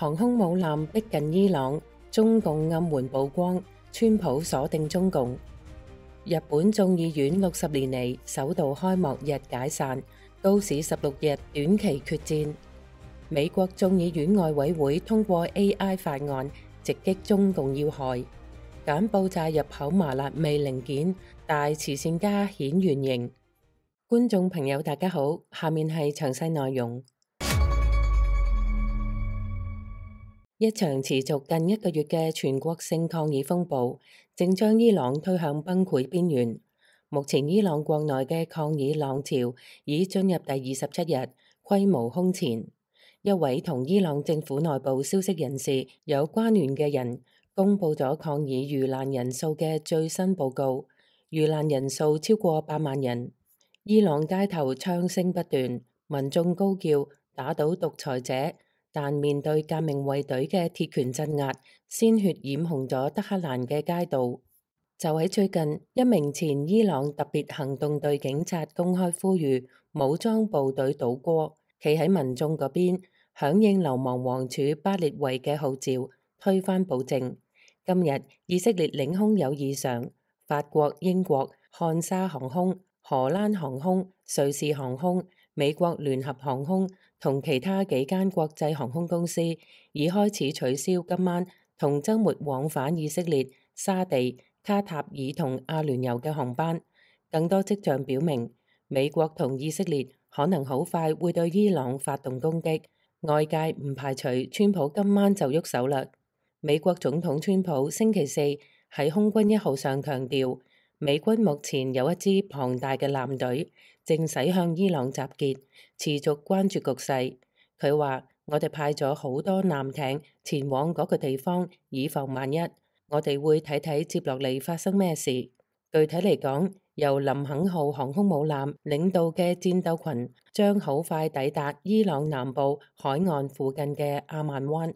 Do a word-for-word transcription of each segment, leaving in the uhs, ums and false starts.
航空母艦逼近伊朗，中共暗援曝光，川普鎖定中共。日本眾議院六十年嚟首度開幕日解散，高市十六日短期決戰。美國眾議院外委會通過 A I 法案，直擊中共要害。柬埔寨入口麻辣味零件，大慈善家顯原形。觀眾朋友大家好，下面係詳細內容。一場持續近一個月嘅全國性抗議風暴，正將伊朗推向崩潰邊緣。目前伊朗國內嘅抗議浪潮已進入第二十七日，規模空前。一位同伊朗政府內部消息人士有關聯嘅人公佈咗抗議遇難人數嘅最新報告，遇難人數超過八萬人。伊朗街頭槍聲不斷，民眾高叫打倒獨裁者。但面對革命衛隊嘅鐵拳鎮壓，鮮血染紅咗德黑蘭嘅街道。就喺最近，一名前伊朗特別行動隊警察公開呼籲武裝部隊倒戈，企喺民眾嗰邊，響應流亡王儲巴列維嘅號召，推翻暴政。今日以色列領空有異常，法國、英國、漢莎航空、荷蘭航空、瑞士航空、美國聯合航空同其他幾間國際航空公司已開始取消今晚同週末往返以色列、沙地、卡塔爾同阿聯酋嘅航班。更多跡象表明，美國同以色列可能好快會對伊朗發動攻擊。外界唔排除川普今晚就喐手啦。美國總統川普星期四喺空軍一號上強調，美軍目前有一支龐大嘅艦隊，正駛向伊朗集結，持續關注局勢。佢話：我哋派咗好多艦艇前往嗰個地方，以防萬一。我哋會睇睇接落嚟發生咩事。具體嚟講，由林肯號航空母艦領導嘅戰鬥群將好快抵達伊朗南部海岸附近嘅阿曼灣。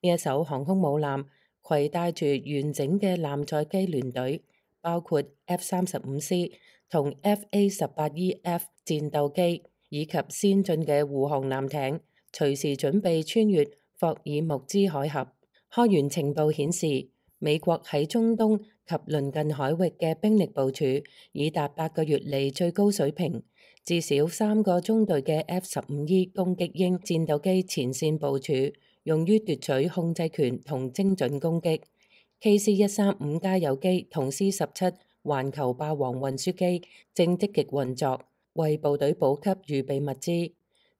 呢一艘航空母艦攜帶住完整嘅艦載機聯隊，包括 F 三十五 C 同 F A 十八 E F 戰鬥機，以及先進嘅護航艦艇，隨時準備穿越霍爾木茲海峽。開源情報顯示，美國喺中東及鄰近海域嘅兵力部署已達八個月嚟最高水平，至少三個中隊嘅 F 十五 E 攻擊鷹戰鬥機前線部署，用於奪取控制權同精準攻擊。K C 一三五加油機同 C 十七環球霸王運輸機正積極運作，為部隊補給預備物資。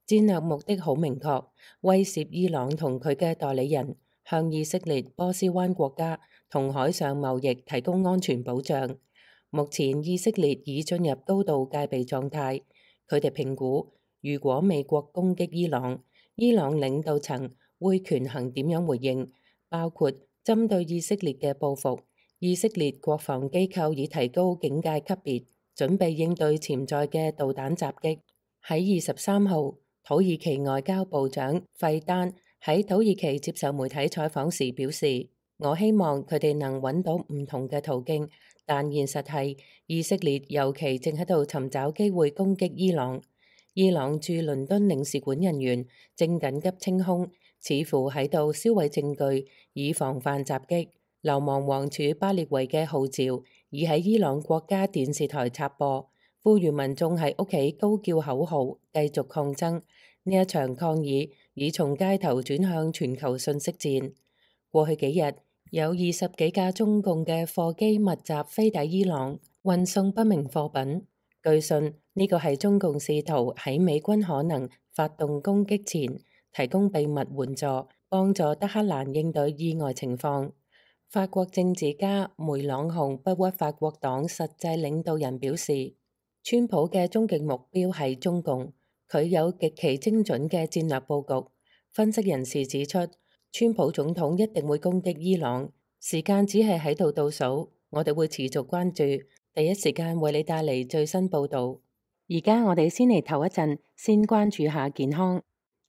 戰略目的好明確，威懾伊朗同佢嘅代理人，向以色列、波斯灣國家同海上貿易提供安全保障。目前以色列已進入高度戒備狀態，佢哋評估，如果美國攻擊伊朗，伊朗領導層會權衡點樣回應，包括針對以色列嘅報復。以色列國防機構已提高警戒級別，準備應對潛在嘅導彈襲擊。喺二十三號，土耳其外交部長費丹喺土耳其接受媒體採訪時表示：我希望佢哋能揾到唔同嘅途徑，但現實係以色列尤其正喺度尋找機會攻擊伊朗。伊朗駐倫敦領事館人員正緊急清空，似乎喺度銷毀證據，以防範襲擊。流亡王儲巴列維嘅號召已喺伊朗國家電視台插播，呼籲民眾喺屋企高叫口號，繼續抗爭。呢一場抗議已從街頭轉向全球信息戰。過去幾日，有二十幾架中共嘅貨機密集飛抵伊朗，運送不明貨品。據信呢個係中共試圖喺美軍可能發動攻擊前，提供秘密援助，幫助德黑蘭應對意外情況。法國政治家梅朗雄不屈法國黨實際領導人表示，川普嘅終極目標係中共，佢有極其精準嘅戰略佈局。分析人士指出，川普總統一定會攻擊伊朗，時間只係喺度倒數。我哋會持續關注，第一時間為你帶嚟最新報導。而家我哋先嚟唞一陣，先關注下健康。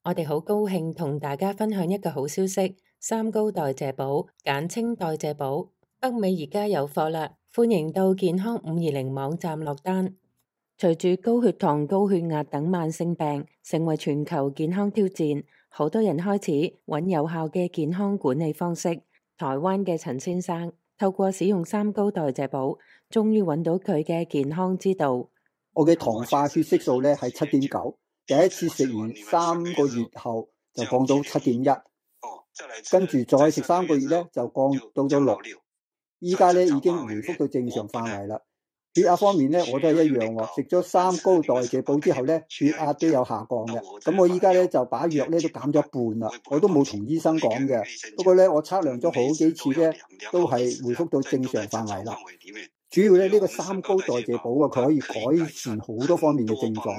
我哋好高興同大家分享一個好消息。三高代謝寶，簡稱代謝寶，北美而家有貨啦！歡迎到健康五二零網站落單。隨住高血糖、高血壓等慢性病成為全球健康挑戰，好多人開始揾有效嘅健康管理方式。台灣嘅陳先生透過使用三高代謝寶，終於揾到佢嘅健康之道。我嘅糖化血色素咧係七點九，第一次食完三個月後就降到七點一，跟住再食三個月咧就降到咗六，依家咧已經回復到正常範圍啦。血壓方面咧我都係一樣喎，食咗三高代謝寶之後咧血壓都有下降嘅。咁我依家咧就把藥咧都減咗一半啦，我都冇同醫生講嘅。不過咧我測量咗好幾次咧都係回復到正常範圍啦。主要咧呢個三高代謝寶啊，佢可以改善好多方面嘅症狀，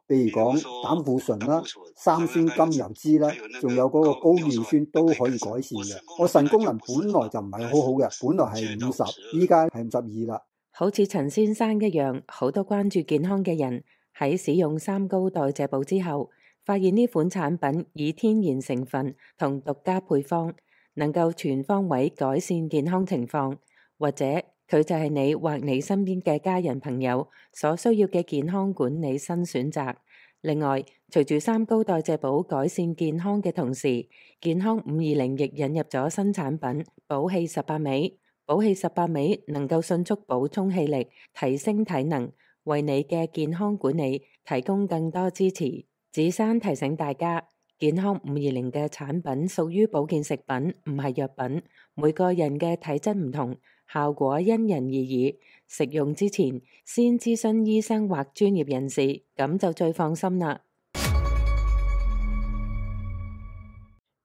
譬如講膽固醇啦、三酸甘油脂啦，仲有嗰個高尿酸都可以改善嘅。我腎功能本來就唔係好好嘅，本來係五十，依家係五十二啦。好似陳先生一樣，好多關注健康嘅人喺使用三高代謝寶之後，發現呢款產品以天然成分同獨家配方，能夠全方位改善健康情況，或者佢就係你或你身邊嘅家人朋友所需要嘅健康管理新選擇。另外，隨住三高代謝寶改善健康嘅同時，健康五二零亦引入咗新產品寶氣十八味。寶氣十八味能夠迅速補充氣力，提升體能，為你嘅健康管理提供更多支持。子珊提醒大家，健康五二零嘅產品屬於保健食品，唔係藥品。每個人嘅體質唔同，效果因人而異。食用之前先諮詢醫生或專業人士，咁就最放心啦。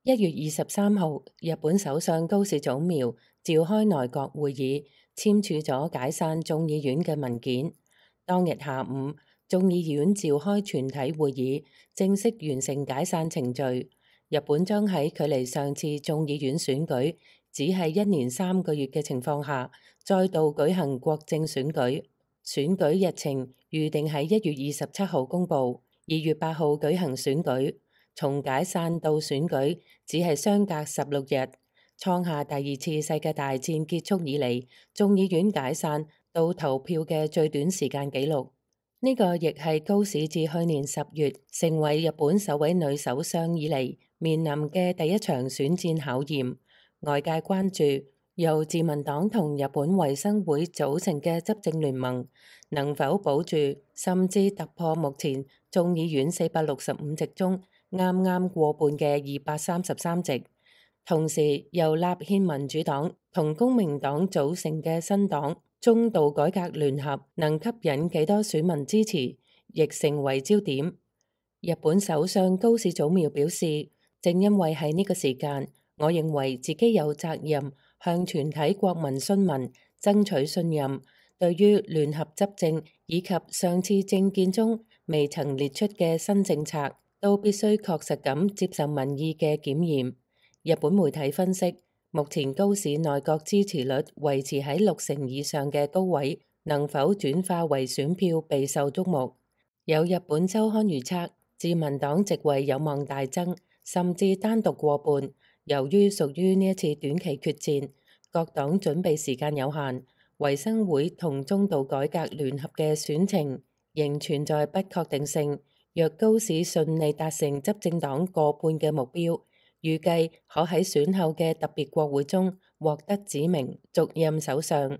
一月二十三號，日本首相高市早苗召開內閣會議，簽署咗解散眾議院嘅文件。當日下午，眾議院召開全體會議，正式完成解散程序。日本將喺距離上次眾議院選舉只係一年三個月嘅情況下，再度舉行國政選舉。選舉日程預定喺一月二十七號公佈，二月八號舉行選舉。從解散到選舉只係相隔十六日，創下第二次世界大戰結束以嚟眾議院解散到投票嘅最短時間紀錄。呢、這個亦係高市自去年十月成為日本首位女首相以嚟面臨嘅第一場選戰考驗。外界關注由自民黨同日本維新會組成嘅執政聯盟能否保住甚至突破目前眾議院四百六十五席中啱啱過半嘅二百三十三席，同時由立憲民主黨同公明黨組成嘅新黨中道改革聯合能吸引幾多選民支持，亦成為焦點。日本首相高市早苗表示，正因為喺呢個時間，我認為自己有責任向全體國民詢問，爭取信任。對於聯合執政以及上次政見中未曾列出嘅新政策，都必須確實咁接受民意嘅檢驗。日本媒體分析，目前高市內閣支持率維持喺六成以上嘅高位，能否轉化為選票備受矚目。有日本周刊預測，自民黨席位有望大增，甚至單獨過半。由於屬於呢一次短期決戰，各黨準備時間有限，維新會同中道改革聯合嘅選情仍存在不確定性。若高市順利達成執政黨過半嘅目標，預計可喺選後嘅特別國會中獲得指名續任首相。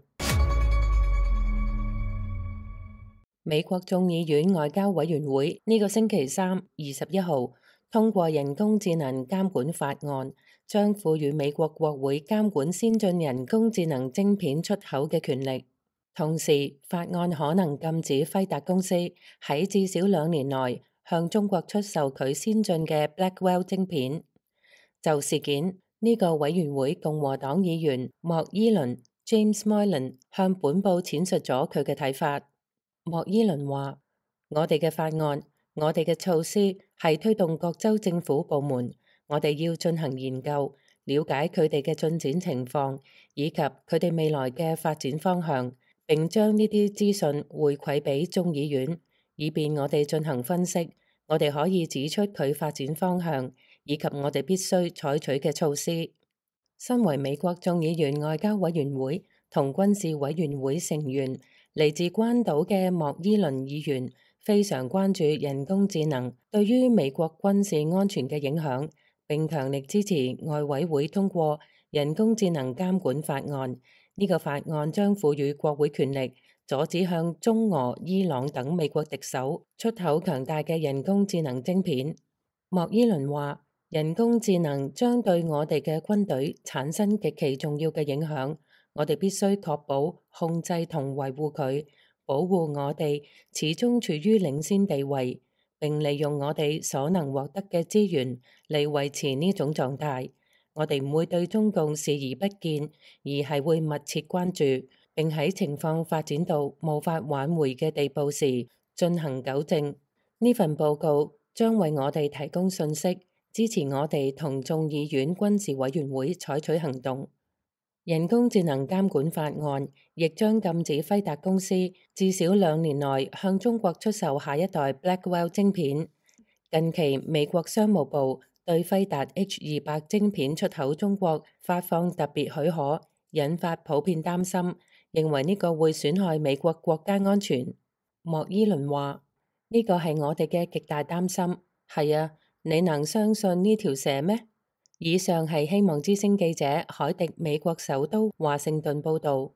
美國眾議院外交委員會呢個星期三二十一號通過人工智能監管法案，將賦予美國國會監管先進人工智能晶片出口嘅權力。同時，法案可能禁止輝達公司喺至少兩年內向中國出售佢先進嘅 Blackwell 晶片。就事件，呢、這個委員會共和黨議員莫伊倫 James Moylan 向本報闡述咗佢嘅睇法。莫伊倫話：我哋嘅法案，我哋嘅措施係推動各州政府部門，我哋要進行研究，了解佢哋嘅進展情況，以及佢哋未來嘅發展方向。並將呢啲資訊回饋俾眾議院，以便我哋進行分析。我哋可以指出佢發展方向，以及我哋必須採取嘅措施。身為美國眾議院外交委員會同軍事委員會成員，嚟自關島嘅莫伊倫議員非常關注人工智能對於美國軍事安全嘅影響，並強力支持外委會通過人工智能監管法案。呢個法案將賦予國會權力，阻止向中俄、伊朗等美國敵手出口強大嘅人工智能晶片。莫伊倫話：人工智能將對我哋嘅軍隊產生極其重要嘅影響，我哋必須確保、控制同維護佢，保護我哋始終處於領先地位，並利用我哋所能獲得嘅資源嚟維持呢種狀態。我哋唔會對中共視而不見，而係會密切關注，並喺情況發展到無法挽回嘅地步時進行糾正。呢份報告將為我哋提供信息，支持我哋同眾議院軍事委員會採取行動。人工智能監管法案亦將禁止輝達公司至少兩年內向中國出售下一代 Blackwell 晶片。近期美國商務部對輝達 H 二百晶片出口中國發放特別許可，引發普遍擔心，認為呢個會損害美國國家安全。莫伊倫話：呢個係我哋嘅極大擔心。係啊，你能相信呢條蛇咩？以上係希望之聲記者凱迪美國首都華盛頓報導。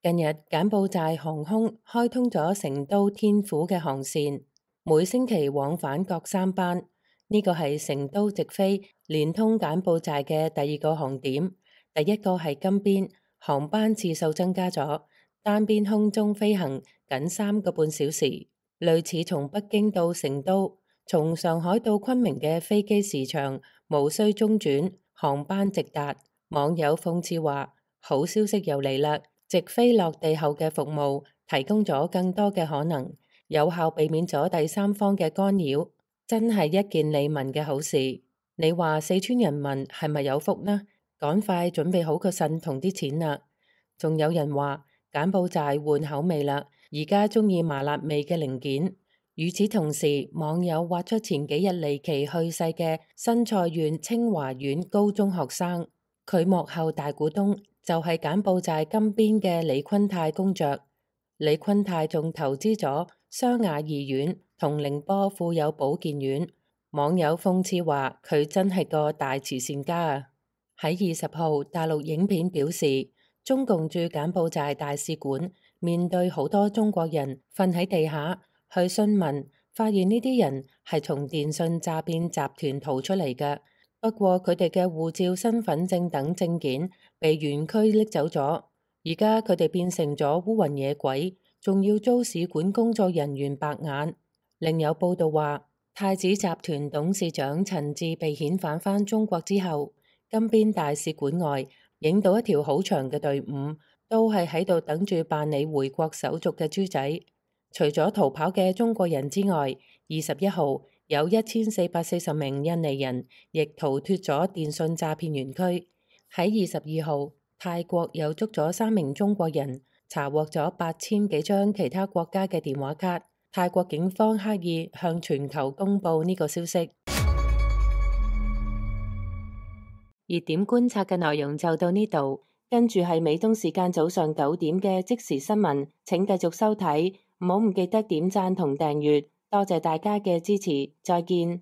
近日柬埔寨航空開通咗成都天府嘅航線，每星期往返各三班。呢個係成都直飛連通柬埔寨嘅第二個航點。第一個係金邊，航班次數增加咗，單邊空中飛行僅三個半小時，類似從北京到成都、從上海到昆明嘅飛機時長無需中轉，航班直達。網友諷刺話：好消息又嚟啦！直飛落地後嘅服務提供咗更多嘅可能，有效避免咗第三方嘅干擾，真係一件利民嘅好事。你話四川人民係咪有福呢？趕快準備好個腎同啲錢啦！仲有人話柬埔寨換口味啦，而家鍾意麻辣味嘅零件。與此同時，網友挖出前幾日離奇去世嘅新蔡縣清華縣高中學生，佢幕後大股東就係柬埔寨金邊嘅李坤泰公爵。李坤泰仲投資咗湘雅醫院同寧波富有保健院。網友諷刺話佢真係個大慈善家啊！喺二十號，大陸影片表示，中共駐柬埔寨大使館面對好多中國人瞓喺地下，去詢問，發現呢啲人係從電信詐騙集團逃出嚟嘅。不過佢哋嘅護照、身份證等證件被園區拎走咗，而家佢哋變成咗烏雲野鬼，仲要遭使館工作人員白眼。另有報道話，太子集團董事長陳志被遣返返中國之後，金邊大使館外影到一條好長嘅隊伍，都係喺度等住辦理回國手續嘅豬仔。除咗逃跑嘅中國人之外，二十一號有一千四百四十名印尼人亦逃脫咗電信詐騙園區。喺二十二號，泰國又捉咗三名中國人，查獲咗八千幾張其他國家嘅電話卡。泰國警方刻意向全球公佈呢個消息。熱點觀察嘅內容就到呢度，跟住係美東時間早上九點嘅即時新聞，請繼續收睇，唔好唔記得點讚同訂閱，多謝大家嘅支持，再見。